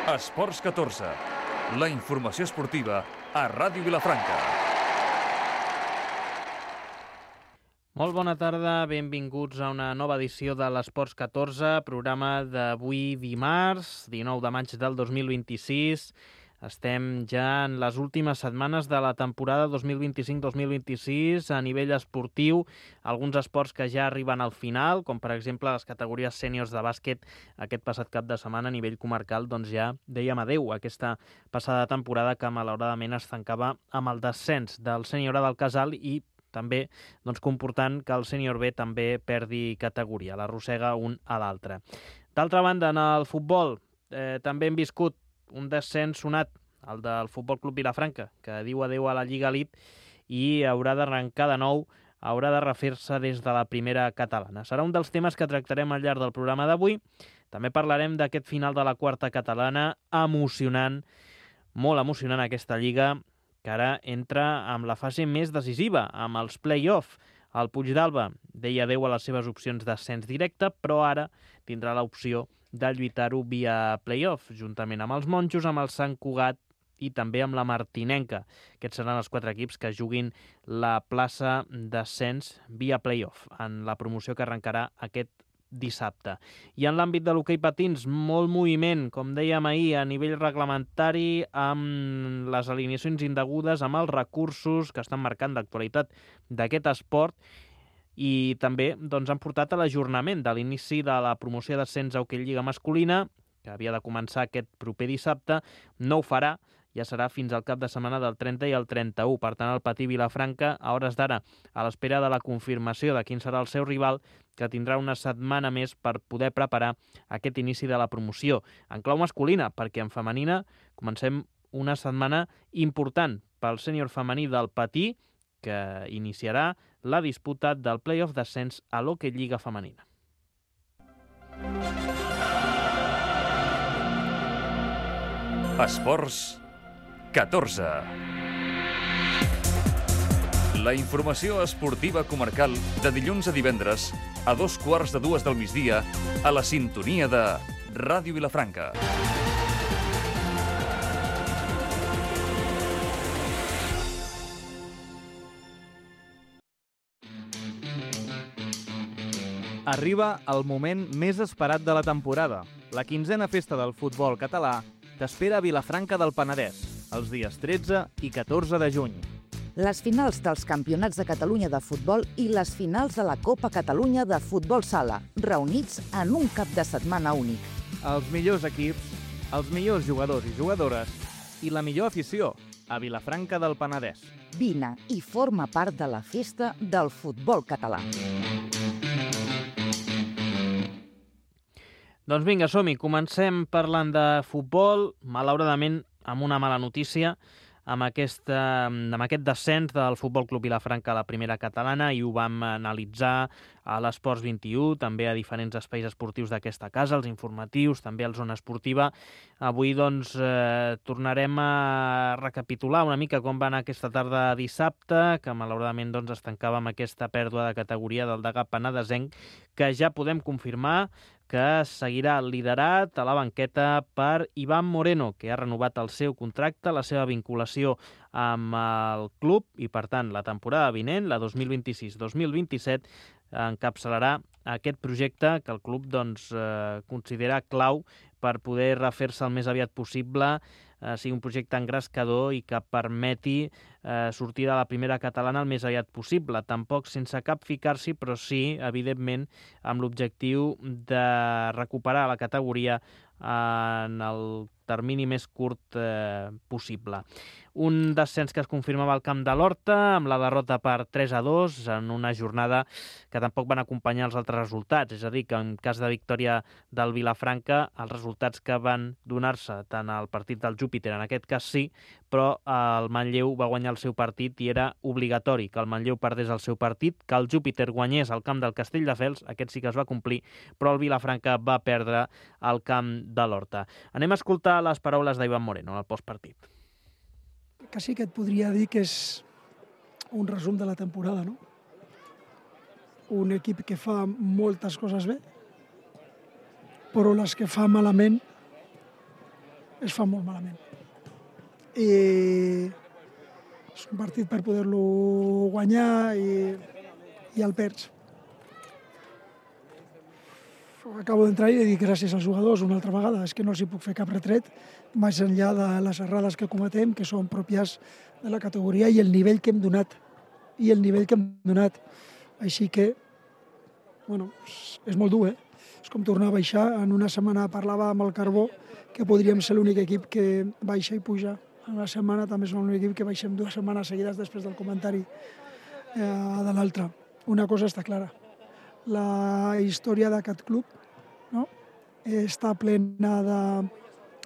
Esports 14, la informació esportiva a Ràdio Vilafranca. Molt bona tarda, benvinguts a una nova edició de l'Esports 14, programa d'avui dimarts, 19 de maig del 2026. Estem ja en les últimes setmanes de la temporada 2025-2026 a nivell esportiu. Alguns esports que ja arriben al final, com per exemple les categories sèniors de bàsquet aquest passat cap de setmana a nivell comarcal, doncs ja dèiem adeu a aquesta passada temporada que malauradament es tancava amb el descens del sènior A del Casal i també comportant que el sènior B també perdi categoria, l'arrossega un a l'altre. D'altra banda, en el futbol també hem viscut un descens sonat, el del Futbol Club Vilafranca, que diu adeu a la Lliga Elite i haurà d'arrencar de nou, haurà de refer-se des de la primera catalana. Serà un dels temes que tractarem al llarg del programa d'avui. També parlarem d'aquest final de la quarta catalana, emocionant, molt emocionant aquesta Lliga, que ara entra amb la fase més decisiva, amb els play-off. El Puigdàlber deia adeu a les seves opcions d'ascens directe, però ara tindrà l'opció de lluitar-ho via play-off, juntament amb els Monjos, amb el Sant Cugat i també amb la Martinenca. Aquests seran els 4 equips que juguin la plaça d'ascens via play-off en la promoció que arrencarà aquest dissabte. I en l'àmbit de l'hoquei patins, molt moviment, com dèiem ahir, a nivell reglamentari, amb les alineacions indegudes, amb els recursos que estan marcant l'actualitat d'aquest esport, i també han portat a l'ajornament de l'inici de la promoció d'ascens a Hoquei Lliga masculina, que havia de començar aquest proper dissabte. No ho farà, ja serà fins al cap de setmana del 30 i el 31. Per tant, el Patí Vilafranca, a hores d'ara, a l'espera de la confirmació de quin serà el seu rival, que tindrà una setmana més per poder preparar aquest inici de la promoció. En clau masculina, perquè en femenina comencem una setmana important pel sènior femení del Patí, que iniciarà la disputa del play-off d'ascens a l'Hoquei Lliga femenina. Esports 14. La informació esportiva comarcal de dilluns a divendres a 2:15 del migdia a la sintonia de Ràdio Vilafranca. Arriba el moment més esperat de la temporada. La 15a festa del futbol català t'espera a Vilafranca del Penedès, els dies 13 i 14 de juny. Les finals dels Campionats de Catalunya de futbol i les finals de la Copa Catalunya de futbol sala, reunits en un cap de setmana únic. Els millors equips, els millors jugadors i jugadores i la millor afició a Vilafranca del Penedès. Vine i forma part de la festa del futbol català. Doncs vinga, som-hi. Comencem parlant de futbol, malauradament amb una mala notícia, amb aquest descens del Futbol Club Vilafranca a la primera catalana, i ho vam analitzar a l'Esports 21, també a diferents espais esportius d'aquesta casa, els informatius, també a la zona esportiva. Avui tornarem a recapitular una mica com va anar aquesta tarda dissabte, que malauradament es tancava amb aquesta pèrdua de categoria del Degà penedesenc, que ja podem confirmar que seguirà liderat a la banqueta per Iván Moreno, que ha renovat el seu contracte, la seva vinculació amb el club, i per tant la temporada vinent, la 2026-2027, encapçalarà aquest projecte que el club considera clau per poder refer-se el més aviat possible, sigui un projecte engrescador i que permeti sortir de la primera catalana el més aviat possible. Tampoc sense cap ficar-s'hi, però sí, evidentment, amb l'objectiu de recuperar la categoria en el termini més curt possible. Un descens que es confirmava al camp de l'Horta, amb la derrota per 3-2, en una jornada que tampoc van acompanyar els altres resultats. És a dir, que en cas de victòria del Vilafranca, els resultats que van donar-se tant al partit del Júpiter, en aquest cas sí, però el Manlleu va guanyar el seu partit i era obligatori que el Manlleu perdés el seu partit, que el Júpiter guanyés al camp del Castelldefels, aquest sí que es va complir, però el Vilafranca va perdre al camp de l'Horta. Anem a escoltar les paraules d'Iván Moreno al postpartit. Quasi que et podria dir que és un resum de la temporada, no? Un equip que fa moltes coses bé, però les que fa malament es fa molt malament. I és un partit per poder-lo guanyar i el perds. Acabo d'entrar i dic gràcies als jugadors una altra vegada. És que no els hi puc fer cap retret més enllà de les errades que cometem, que són pròpies de la categoria i el nivell que hem donat. Així que, bueno, és molt dur, És com tornar a baixar. En una setmana parlava amb el Carbó que podríem ser l'únic equip que baixa i puja. En una setmana també som l'únic equip que baixem 2 setmanes seguides després del comentari de l'altre. Una cosa està clara. La història d'aquest club, no? Està plena de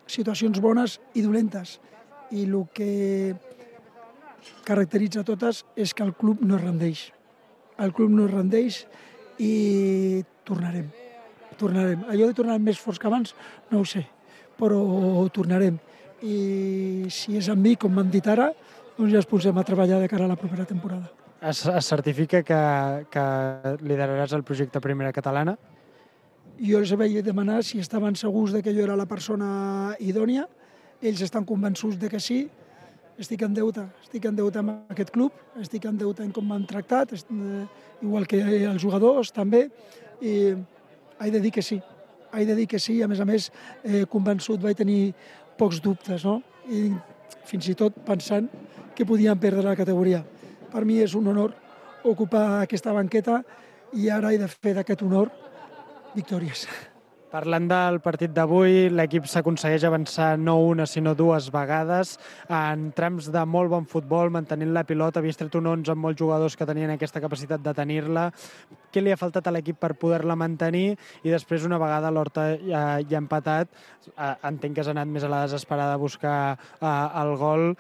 situacions bones i dolentes. I el que caracteritza totes és que el club no es rendeix. El club no es rendeix i tornarem. Allò de tornar més forts que abans, no ho sé, però tornarem. I si és amb mi, com m'han dit ara, doncs ja ens posem a treballar de cara a la propera temporada. Es certifica que lideraràs el projecte Primera Catalana? Jo els vaig demanar si estaven segurs de que jo era la persona idònia. Ells estan convençuts de que sí. Estic en deute amb aquest club, estic en deute en com m'han tractat, igual que els jugadors també, i he de dir que sí. A més, convençut vaig tenir pocs dubtes, no? I fins i tot pensant que podíem perdre la categoria. Per mi és un honor ocupar aquesta banqueta i ara he de fer d'aquest honor victòries. Parlant del partit d'avui, l'equip s'aconsegueix avançar no una sinó 2 vegades en trams de molt bon futbol, mantenint la pilota. Havies tret un 11 amb molts jugadors que tenien aquesta capacitat de tenir-la. Què li ha faltat a l'equip per poder-la mantenir? I després, una vegada l'Horta ja ha empatat, entenc que has anat més a la desesperada a buscar el gol.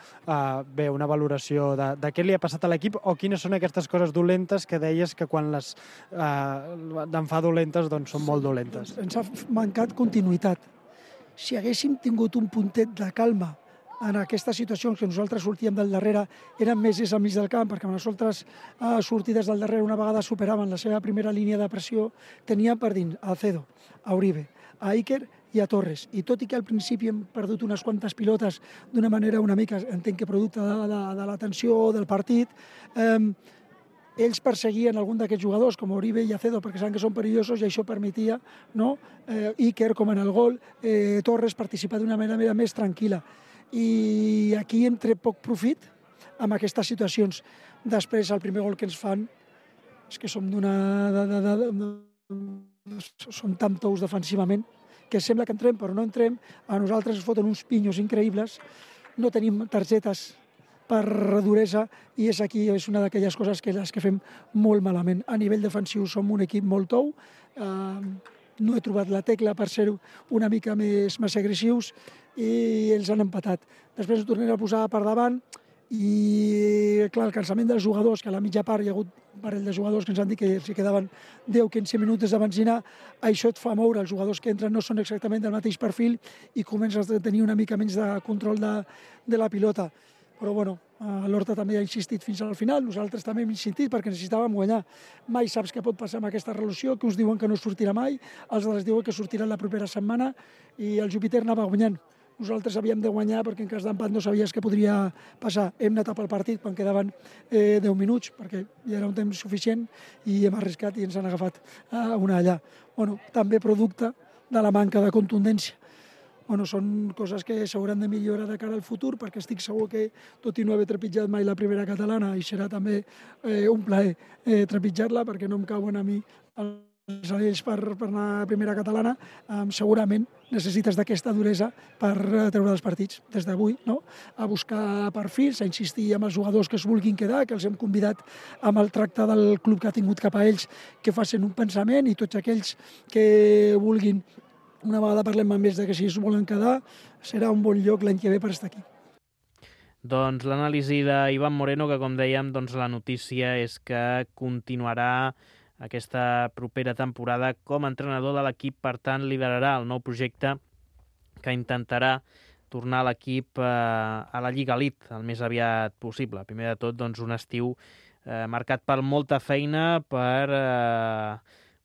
Bé, una valoració de què li ha passat a l'equip o quines són aquestes coses dolentes que deies que quan les en fa dolentes doncs són molt dolentes. Ens ha mancat continuïtat. Si haguéssim tingut un puntet de calma en aquestes situacions que nosaltres sortíem del darrere, eren més al mig del camp, perquè les altres sortides del darrere una vegada superaven la seva primera línia de pressió, teníem per dins a Alcedo, a Uribe, a Iker i a Torres. I tot i que al principi hem perdut unes quantes pilotes d'una manera una mica, entenc que producte de la tensió del partit, ells perseguien algun d'aquests jugadors, com Uribe i Acedo, perquè saben que són perillosos i això permetia, no? Iker, com en el gol, Torres participar d'una manera més tranquil·la. I aquí hem tret poc profit amb aquestes situacions. Després, el primer gol que ens fan és que som som tan tous defensivament que sembla que entrem, però no entrem. A nosaltres ens foten uns pinyos increïbles. No tenim targetes per duresa i és una d'aquelles coses que les que fem molt malament. A nivell defensiu som un equip molt tou, no he trobat la tecla per ser una mica més agressius i els han empatat. Després ho tornem a posar per davant i clar, el cansament dels jugadors, que a la mitja part hi ha hagut un parell de jugadors que ens han dit que s'hi quedaven 10-15 minuts de benzina, això et fa moure. Els jugadors que entren no són exactament del mateix perfil i comences a tenir una mica menys de control de la pilota. Però bueno, l'Horta també ha insistit fins al final, nosaltres també hem insistit perquè necessitàvem guanyar. Mai saps què pot passar amb aquesta relació, que us diuen que no sortirà mai, els altres diuen que sortirà la propera setmana i el Júpiter anava guanyant. Nosaltres havíem de guanyar perquè en cas d'empat no sabies què podria passar. Hem anat pel partit quan quedaven 10 minuts perquè ja era un temps suficient i hem arriscat i ens han agafat una allà. Bueno, també producte de la manca de contundència. Bueno, són coses que s'hauran de millorar de cara al futur perquè estic segur que, tot i no haver trepitjat mai la primera catalana, i serà també un plaer trepitjar-la perquè no em cauen a mi els anells per anar a primera catalana, segurament necessites d'aquesta duresa per treure els partits des d'avui, no? A buscar perfils, a insistir amb els jugadors que es vulguin quedar, que els hem convidat amb el tracte del club que ha tingut cap a ells, que facin un pensament i tots aquells que vulguin. Una vegada parlem amb ells que si es volen quedar, serà un bon lloc l'any que ve per estar aquí. Doncs l'anàlisi d'Ivan Moreno, que com dèiem, doncs la notícia és que continuarà aquesta propera temporada com a entrenador de l'equip, per tant liderarà el nou projecte que intentarà tornar l'equip a la Lliga Elite el més aviat possible. Primer de tot, doncs, un estiu marcat per molta feina, per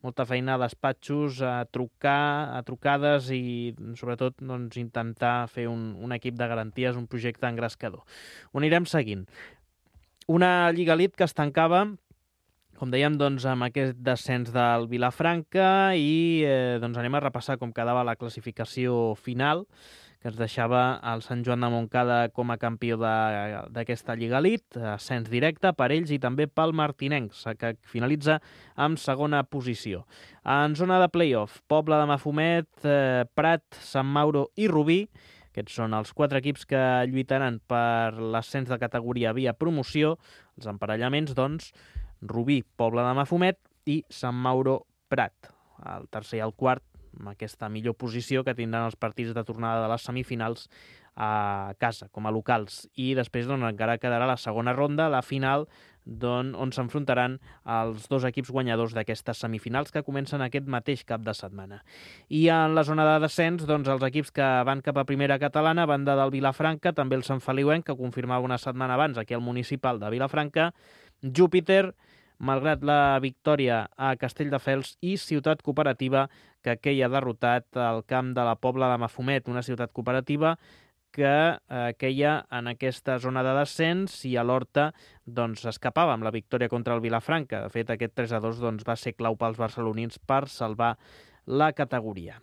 molta feina a despatxos, a trucades i sobretot doncs, intentar fer un equip de garanties, un projecte engrescador. Ho anirem seguint. Una Lliga Elite que es tancava, com dèiem, doncs, amb aquest descens del Vilafranca i doncs anem a repassar com quedava la classificació final, que ens deixava el Sant Joan de Montcada com a campió d'aquesta Lliga Elite, ascens directe per ells i també pel Martinencs, que finalitza amb segona posició. En zona de play-off, Pobla de Mafumet, Prat, Sant Mauro i Rubí. Aquests són els 4 equips que lluitaran per l'ascens de categoria via promoció. Els emparellaments, doncs, Rubí, Pobla de Mafumet i Sant Mauro, Prat. El tercer i el quart, amb aquesta millor posició que tindran els partits de tornada de les semifinals a casa, com a locals. I després doncs, encara quedarà la segona ronda, la final, on s'enfrontaran els 2 equips guanyadors d'aquestes semifinals que comencen aquest mateix cap de setmana. I en la zona de descens, doncs, els equips que van cap a primera catalana, banda del Vilafranca, també el Sant Feliuenc, que confirmava una setmana abans aquí al municipal de Vilafranca, Júpiter, malgrat la victòria a Castelldefels, i Ciutat Cooperativa, que queia derrotat al camp de la Pobla de Mafumet, una ciutat cooperativa que queia en aquesta zona de descens i a l'Horta doncs, escapava amb la victòria contra el Vilafranca. De fet, aquest 3-2 doncs, va ser clau pels barcelonins per salvar la categoria.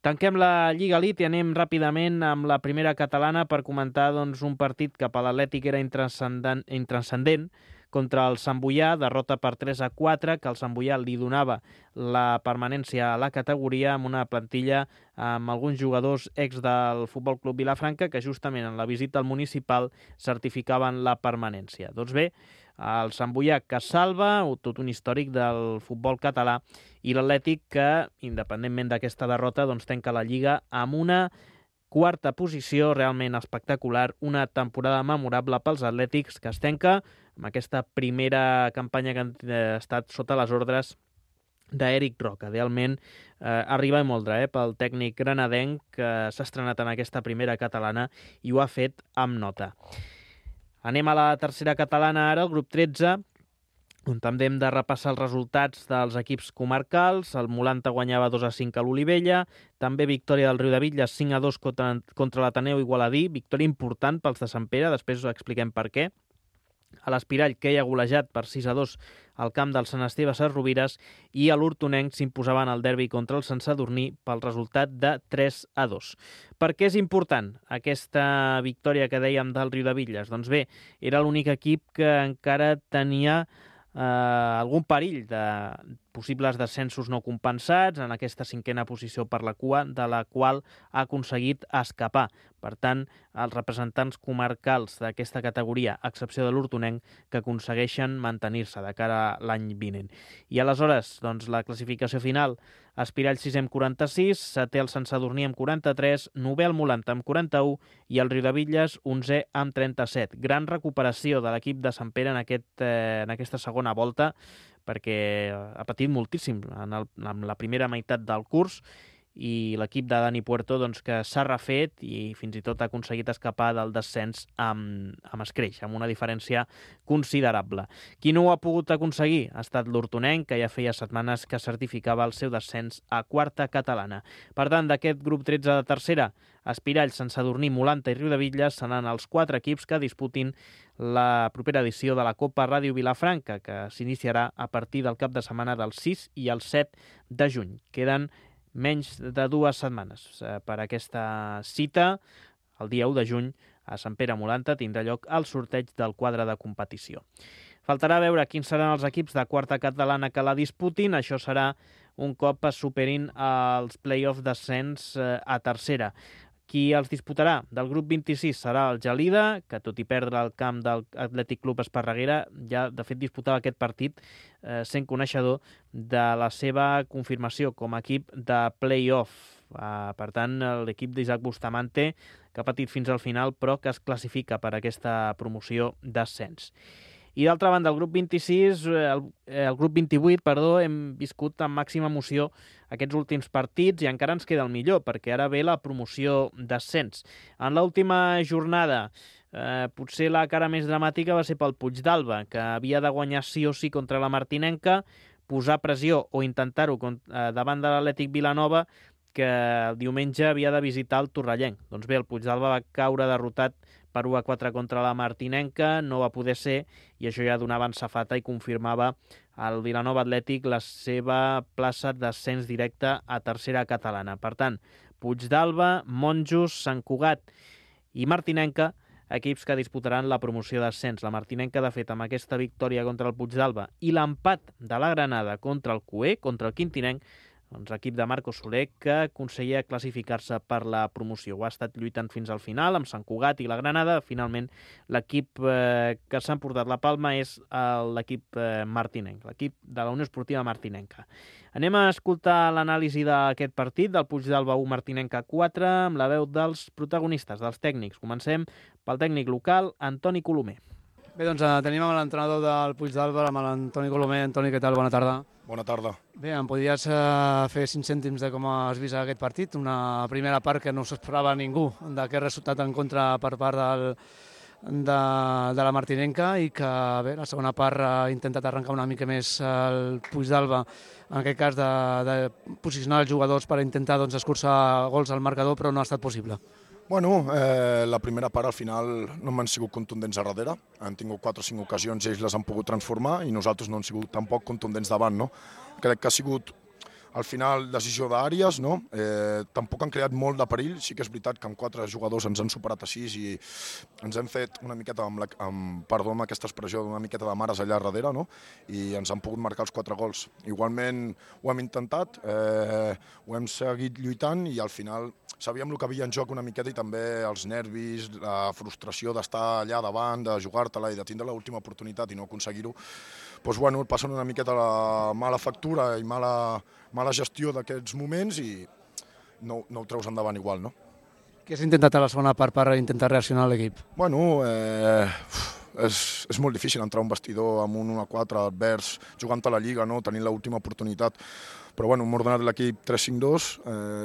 Tanquem la Lliga Elite i anem ràpidament amb la primera catalana per comentar doncs, un partit que per l'Atlètic era intranscendent contra el Sant Boià, derrota per 3-4, que el Sant Boià li donava la permanència a la categoria amb una plantilla amb alguns jugadors ex del Futbol Club Vilafranca que justament en la visita al municipal certificaven la permanència. Doncs bé, el Sant Boià que salva, tot un històric del futbol català, i l'Atlètic que, independentment d'aquesta derrota, doncs tanca la Lliga amb una quarta posició realment espectacular, una temporada memorable pels atlètics que es tanca amb aquesta primera campanya que han estat sota les ordres d'Eric Roca. Realment arriba i moldre pel tècnic granadenc que s'ha estrenat en aquesta primera catalana i ho ha fet amb nota. Anem a la tercera catalana ara, el grup 13, on també hem de repassar els resultats dels equips comarcals. El Molanta guanyava 2-5 a l'Olivella, també victòria del Riudebitlles 5-2 contra l'Ateneu Igualadí, victòria important pels de Sant Pere, després us expliquem per què. A l'Espirall, que hi ha golejat per 6-2 al camp del Sant Esteve a Rovires, i a l'Hortonenc s'imposaven al derbi contra el Sant Sadurní pel resultat de 3-2. Per què és important aquesta victòria que dèiem del Riudebitlles? Doncs bé, era l'únic equip que encara tenia algun perill de possibles descensos no compensats en aquesta cinquena posició per la cua, de la qual ha aconseguit escapar. Per tant, els representants comarcals d'aquesta categoria, a excepció de l'Hortonenc, que aconsegueixen mantenir-se de cara a l'any vinent. I aleshores, doncs, la classificació final: Espirall 6è amb 46, setè el Sant Sadurní amb 43, novè el Molanta amb 41 i el Riudebitlles 11è amb 37. Gran recuperació de l'equip de Sant Pere en aquesta segona volta, perquè ha patit moltíssim en la primera meitat del curs, i l'equip de Dani Puerto doncs, que s'ha refet i fins i tot ha aconseguit escapar del descens amb escreix, amb una diferència considerable. Qui no ho ha pogut aconseguir ha estat l'Hortonenc, que ja feia setmanes que certificava el seu descens a quarta catalana. Per tant, d'aquest grup 13 de tercera, Espirall, Sant Sadurní, Molanta i Riudebitlles seran els 4 equips que disputin la propera edició de la Copa Ràdio Vilafranca, que s'iniciarà a partir del cap de setmana del 6 i el 7 de juny. Queden menys de 2 setmanes per aquesta cita. El dia 1 de juny a Sant Pere Molanta tindrà lloc el sorteig del quadre de competició. Faltarà veure quins seran els equips de quarta catalana que la disputin. Això serà un cop es superin els play-off d'ascens a tercera. Qui els disputarà del grup 26 serà el Gelida, que tot i perdre el camp del Atlètic Club Esparreguera, ja de fet disputava aquest partit sent coneixedor de la seva confirmació com a equip de play-off. Per tant, l'equip d'Isaac Bustamante, que ha patit fins al final, però que es classifica per aquesta promoció d'ascens. I d'altra banda, el grup 28, hem viscut amb màxima emoció aquests últims partits i encara ens queda el millor, perquè ara ve la promoció d'ascens. En l'última jornada, potser la cara més dramàtica va ser pel Puigdàlber, que havia de guanyar sí o sí contra la Martinenca, posar pressió o intentar-ho davant de l'Atlètic Vilanova, que el diumenge havia de visitar el Torrellenc. Doncs bé, el Puigdàlber va caure derrotat per 1-4 contra la Martinenca, no va poder ser, i això ja donava en safata i confirmava al Vilanova Atlètic la seva plaça d'ascens directe a tercera catalana. Per tant, Puigdàlber, Monjos, Sant Cugat i Martinenca, equips que disputaran la promoció d'ascens. La Martinenca, de fet, amb aquesta victòria contra el Puigdàlber i l'empat de la Granada contra el Cué, contra el Quintinenc, doncs l'equip de Marco Soler, que aconseguia classificar-se per la promoció. Ho ha estat lluitant fins al final, amb Sant Cugat i la Granada. Finalment, l'equip que s'ha emportat la palma és l'equip martinenc, l'equip de la Unió Esportiva Martinenca. Anem a escoltar l'anàlisi d'aquest partit, del Puigdàlber 1, Martinenca 4, amb la veu dels protagonistes, dels tècnics. Comencem pel tècnic local, Antoni Colomer. Bé, doncs tenim amb l'entrenador del Puigdàlber, amb l'Antoni Colomer. Antoni, què tal? Bona tarda. Bona tarda. Bé, em podries fer 5 cèntims de com has vist aquest partit? Una primera part que no s'esperava ningú, d'aquest resultat en contra per part de la Martinenca, i que bé, la segona part ha intentat arrencar una mica més el Puigdàlber, en aquest cas de posicionar els jugadors per intentar escurçar gols al marcador, però no ha estat possible. Bueno, la primera part al final no m'han sigut contundents a darrere, han tingut 4 o 5 ocasions i ells les han pogut transformar i nosaltres no hem sigut tampoc contundents davant, no? Crec que ha sigut al final decisió d'àrees, no? Tampoc han creat molt de perill, sí que és veritat que amb 4 jugadors ens han superat a 6 i ens hem fet una miqueta amb aquesta expressió, una miqueta de mares allà darrere, no? I ens han pogut marcar els 4 gols. Igualment ho hem intentat, ho hem seguit lluitant i al final sabíem el que havia en joc una miqueta i també els nervis, la frustració d'estar allà davant, de jugar-te-la i de tindre l'última oportunitat i no aconseguir-ho. Doncs bueno, et passen una miqueta la mala factura i mala gestió d'aquests moments i no ho treus endavant igual, no? Què has intentat a la segona part per intentar reaccionar a l'equip? Bueno, és molt difícil entrar a un vestidor amb un 1-4 advers, jugant a la Lliga, no? Tenint l'última oportunitat. Però bueno, hem ordenat l'equip 3-5-2,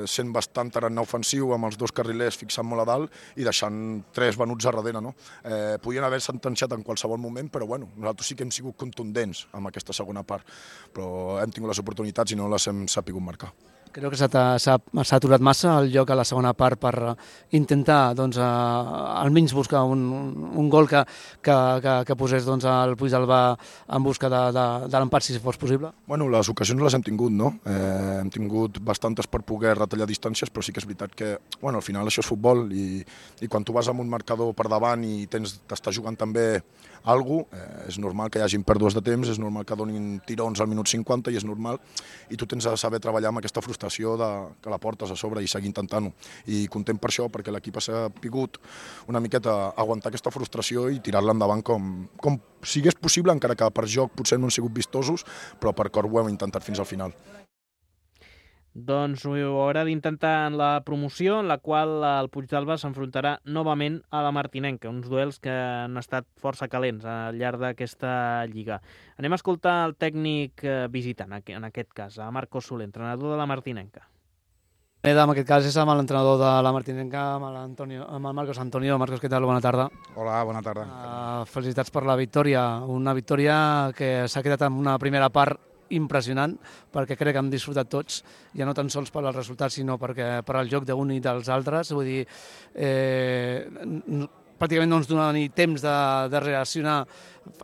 sent bastant tarannà ofensiu amb els 2 carrilers fixant molt a dalt i deixant 3 venuts a darrere, no? Podien haver sentenciat en qualsevol moment, però bueno, nosaltres sí que hem sigut contundents amb aquesta segona part, però hem tingut les oportunitats i no les hem sapigut marcar. Creu que s'ha aturat massa el joc a la segona part per intentar almenys buscar un gol que posés el Puigdàlber en busca de l'empat, si fos possible? Bueno, les ocasions les hem tingut, no? Hem tingut bastantes per poder retallar distàncies, però sí que és veritat que al final això és futbol i quan tu vas amb un marcador per davant i t'estàs jugant també alguna cosa, és normal que hi hagin pèrdues de temps, és normal que donin tirons al minut 50 i és normal, i tu tens de saber treballar amb aquesta frustració que la portes a sobre i seguir intentant-ho. I content per això, perquè l'equip ha sapigut una miqueta aguantar aquesta frustració i tirar-la endavant com sigués possible, encara que per joc potser no han sigut vistosos, però per cor ho hem intentat fins al final. Doncs ho haurà d'intentar en la promoció, en la qual el Puigdàlber s'enfrontarà novament a la Martinenca, uns duels que han estat força calents al llarg d'aquesta lliga. Anem a escoltar el tècnic visitant, en aquest cas, a Marco Soler, entrenador de la Martinenca. En aquest cas és amb l'entrenador de la Martinenca, amb el Marcos Antonio. Marcos, què tal? Bona tarda. Hola, bona tarda. Felicitats per la victòria. Una victòria que s'ha quedat en una primera part impressionant, perquè crec que hem disfrutat tots, ja no tan sols per als resultats, sinó per al joc d'un i dels altres. Vull dir, pràcticament no ens dona ni temps de reaccionar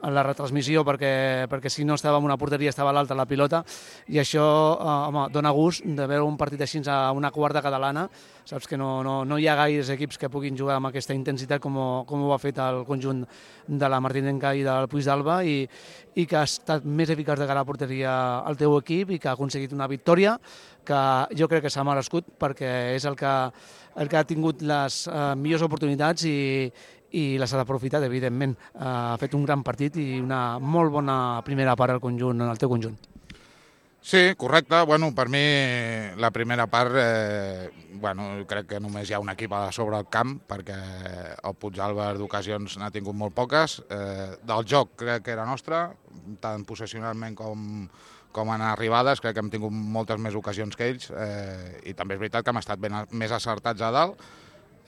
a la retransmissió, perquè si no estava en una porteria estava a l'altra la pilota, i això dona gust de veure un partit així a una quarta catalana. Saps que no hi ha gaires equips que puguin jugar amb aquesta intensitat com ho ha fet el conjunt de la Martinenca i del Puigdàlber, i que ha estat més eficaç de cara a la porteria el teu equip i que ha aconseguit una victòria que jo crec que s'ha merescut, perquè és el que ha tingut les millors oportunitats i les ha aprofitat, evidentment. Ha fet un gran partit i una molt bona primera part al teu conjunt. Sí, correcte. Bueno, per mi la primera part, crec que només hi ha un equip a sobre el camp, perquè el Puigdàlber d'ocasions n'ha tingut molt poques. Del joc crec que era nostre, tant possessionalment com en arribades, crec que hem tingut moltes més ocasions que ells, i també és veritat que hem estat més acertats a dalt.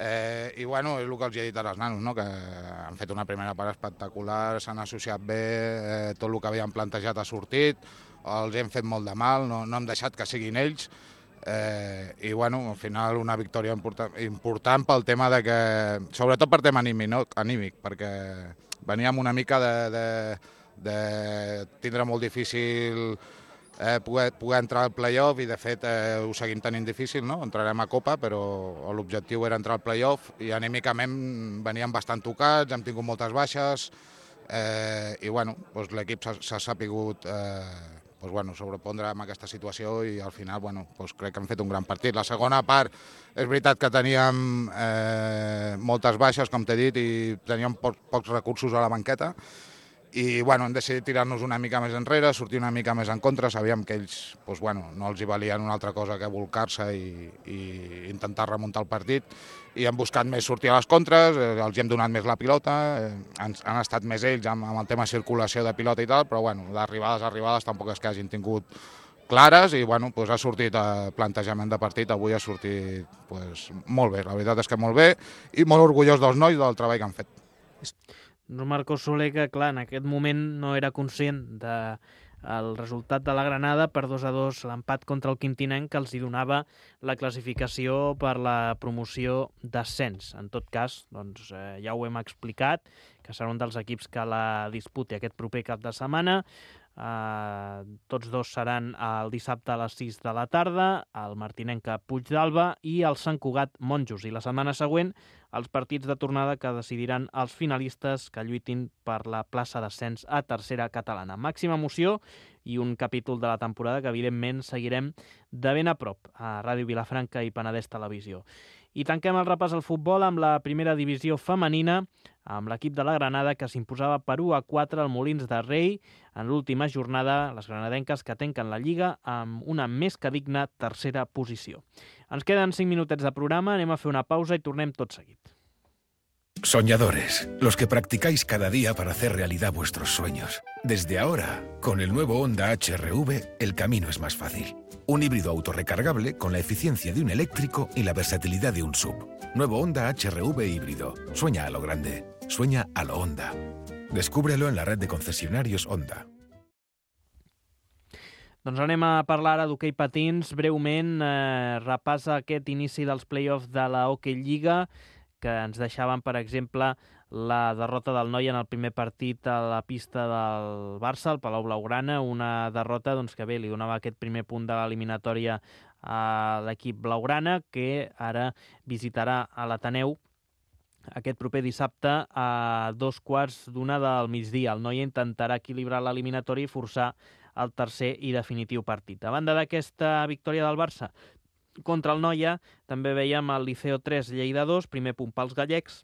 I bueno, és el que els he dit als nanos, no? Que han fet una primera part espectacular, s'han associat bé, tot el que havien plantejat ha sortit, els hem fet molt de mal, no hem deixat que siguin ells, i bueno, al final una victòria important pel tema de que, sobretot per tema anímic, perquè veníem una mica de tindre molt difícil poder entrar al play-off, i de fet ho seguim tenint difícil, no? Entrarem a Copa, però l'objectiu era entrar al play-off, i anímicament veníem bastant tocats, hem tingut moltes baixes, i bueno, doncs l'equip s'ha sapigut sobrepondre amb aquesta situació, i al final crec que hem fet un gran partit. La segona part és veritat que teníem moltes baixes, com t'he dit, i teníem pocs recursos a la banqueta, i hem decidit tirar-nos una mica més enrere, sortir una mica més en contra. Sabíem que ells no els hi valien una altra cosa que volcar-se i intentar remuntar el partit, i hem buscat més sortir a les contres, els hem donat més la pilota, han estat més ells amb el tema circulació de pilota i tal, però d'arribades tampoc és que hagin tingut clares, i ha sortit plantejament de partit, avui ha sortit molt bé, la veritat és que molt bé, i molt orgullós dels nois del treball que han fet. Marcos Soler, que clar, en aquest moment no era conscient del resultat de la Granada per 2-2, l'empat contra el Quintinenc, que els hi donava la classificació per la promoció d'ascens. En tot cas, ja ho hem explicat, que serà un dels equips que la disputi aquest proper cap de setmana. Tots dos seran el dissabte a les 6 de la tarda, el Martinenca Puigdàlber i el Sant Cugat Monjos, i la setmana següent els partits de tornada que decidiran els finalistes que lluitin per la plaça d'ascens a tercera catalana. Màxima emoció i un capítol de la temporada que evidentment seguirem de ben a prop a Ràdio Vilafranca i Penedès Televisió. I tanquem el repàs al futbol amb la primera divisió femenina, amb l'equip de la Granada, que s'imposava per 1-4 al Molins de Rei en l'última jornada, les granadenques que tanquen la Lliga amb una més que digna tercera posició. Ens queden 5 minutets de programa, anem a fer una pausa i tornem tot seguit. Soñadores, los que practicáis cada día para hacer realidad vuestros sueños. Desde ahora, con el nuevo Honda HR-V, el camino es más fácil. Un híbrido autorrecargable con la eficiencia de un eléctrico y la versatilidad de un SUV. Nuevo Honda HR-V híbrido. Sueña a lo grande. Sueña a lo Honda. Descúbrelo en la red de concesionarios Honda. Doncs anem a parlar ara d'hoquei patins. Breument, repassa aquest inici dels play-offs de la Hockey Lliga, que ens deixaven, per exemple, la derrota del Noia en el primer partit a la pista del Barça, al Palau Blaugrana, una derrota que li donava aquest primer punt de l'eliminatòria a l'equip blaugrana, que ara visitarà a l'Ateneu aquest proper dissabte a 2:15 del migdia. El Noia intentarà equilibrar l'eliminatòria i forçar el tercer i definitiu partit. A banda d'aquesta victòria del Barça contra el Noia, també veiem el Liceo 3, Lleida 2, primer punt pels gallecs,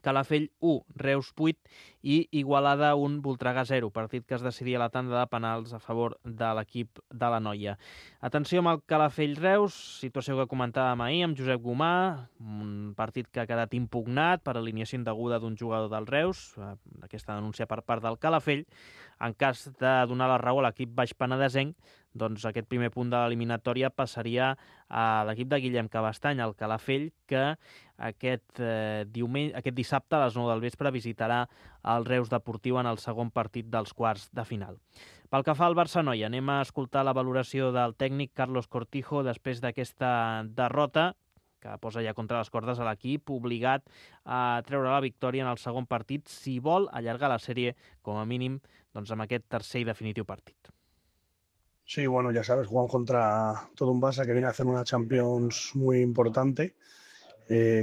Calafell 1, Reus 8 i Igualada 1, Voltregà 0, partit que es decidia a la tanda de penals a favor de l'equip de la Noia. Atenció amb el Calafell-Reus, situació que comentàvem ahir amb Josep Gomà, un partit que ha quedat impugnat per alineació indeguda d'un jugador del Reus, aquesta denúncia per part del Calafell. En cas de donar la raó a l'equip baix penedesenc, doncs aquest primer punt de l'eliminatòria passaria a l'equip de Guillem Cabastany, el Calafell, que aquest dissabte a les 9 del vespre visitarà el Reus Deportiu en el segon partit dels quarts de final. Pel que fa al Barça-Noia, anem a escoltar la valoració del tècnic Carlos Cortijo després d'aquesta derrota, que posa ja contra les cordes a l'equip, obligat a treure la victòria en el segon partit si vol allargar la sèrie, com a mínim, amb aquest tercer i definitiu partit. Sí, bueno, ya sabes, jugamos contra todo un Barça que viene a hacer una Champions muy importante,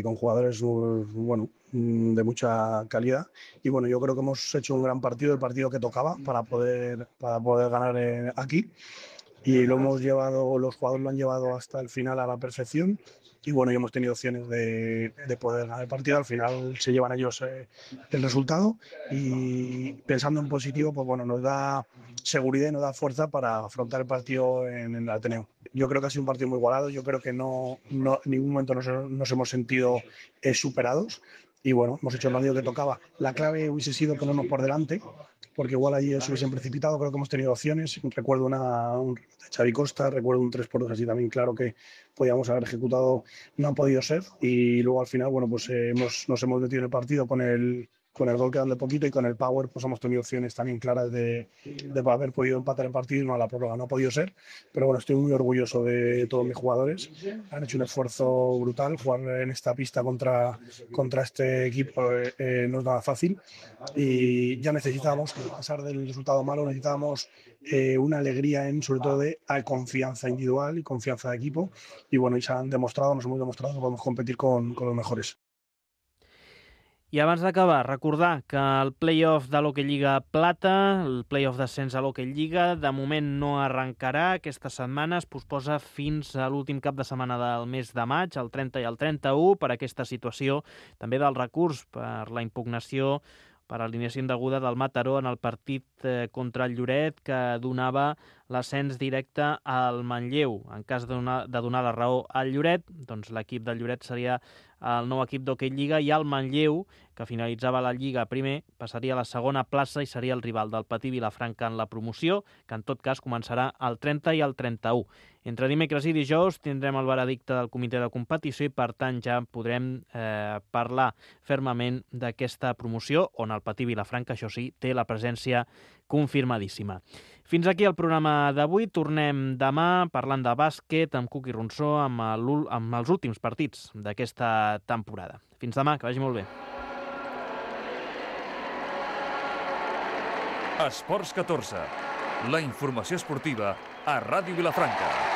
con jugadores de mucha calidad. Y bueno, yo creo que hemos hecho un gran partido, el partido que tocaba para poder ganar aquí. Y los jugadores lo han llevado hasta el final a la perfección. Y bueno, ya hemos tenido opciones de poder ganar el partido. Al final se llevan ellos el resultado. Y pensando en positivo, pues bueno, nos da seguridad y nos da fuerza para afrontar el partido en el Ateneo. Yo creo que ha sido un partido muy igualado. Yo creo que no en ningún momento nos hemos sentido superados. Y bueno, hemos hecho el partido que tocaba. La clave hubiese sido ponernos por delante, porque igual allí se hubiesen precipitado. Creo que hemos tenido opciones. Recuerdo un de Xavi Costa, recuerdo un 3-2 así también, claro que podíamos haber ejecutado, no ha podido ser. Y luego al final, bueno, pues nos hemos metido en el partido con el con el gol quedando poquito y con el power pues hemos tenido opciones también claras de haber podido empatar el partido y no a la prórroga, no ha podido ser, pero bueno, estoy muy orgulloso de todos mis jugadores, han hecho un esfuerzo brutal, jugar en esta pista contra este equipo no es nada fácil y ya necesitábamos, a pesar del resultado malo, necesitábamos una alegría sobre todo de confianza individual y confianza de equipo y bueno, y nos hemos demostrado que podemos competir con los mejores. I abans d'acabar, recordar que el play-off de l'Hockey Lliga Plata, el play-off d'ascens a l'Hockey Lliga, de moment no arrencarà aquesta setmana, es posposa fins a l'últim cap de setmana del mes de maig, el 30 i el 31, per aquesta situació també del recurs per la impugnació per alineació indeguda del Mataró en el partit contra el Lloret que donava l'ascens directe al Manlleu. En cas de donar la raó al Lloret, doncs l'equip del Lloret seria el nou equip d'Hockey Lliga i el Manlleu, que finalitzava la Lliga primer, passaria a la segona plaça i seria el rival del Patí Vilafranca en la promoció, que en tot cas començarà el 30 i el 31. Entre dimecres i dijous tindrem el veredicte del comitè de competició i, per tant, ja podrem parlar fermament d'aquesta promoció, on el Patí Vilafranca, això sí, té la presència confirmadíssima. Fins aquí el programa d'avui. Tornem demà parlant de bàsquet amb Cuqui Ronsó, amb els últims partits d'aquesta temporada. Fins demà, que vagi molt bé. Esports 14, la informació esportiva a Ràdio Vilafranca.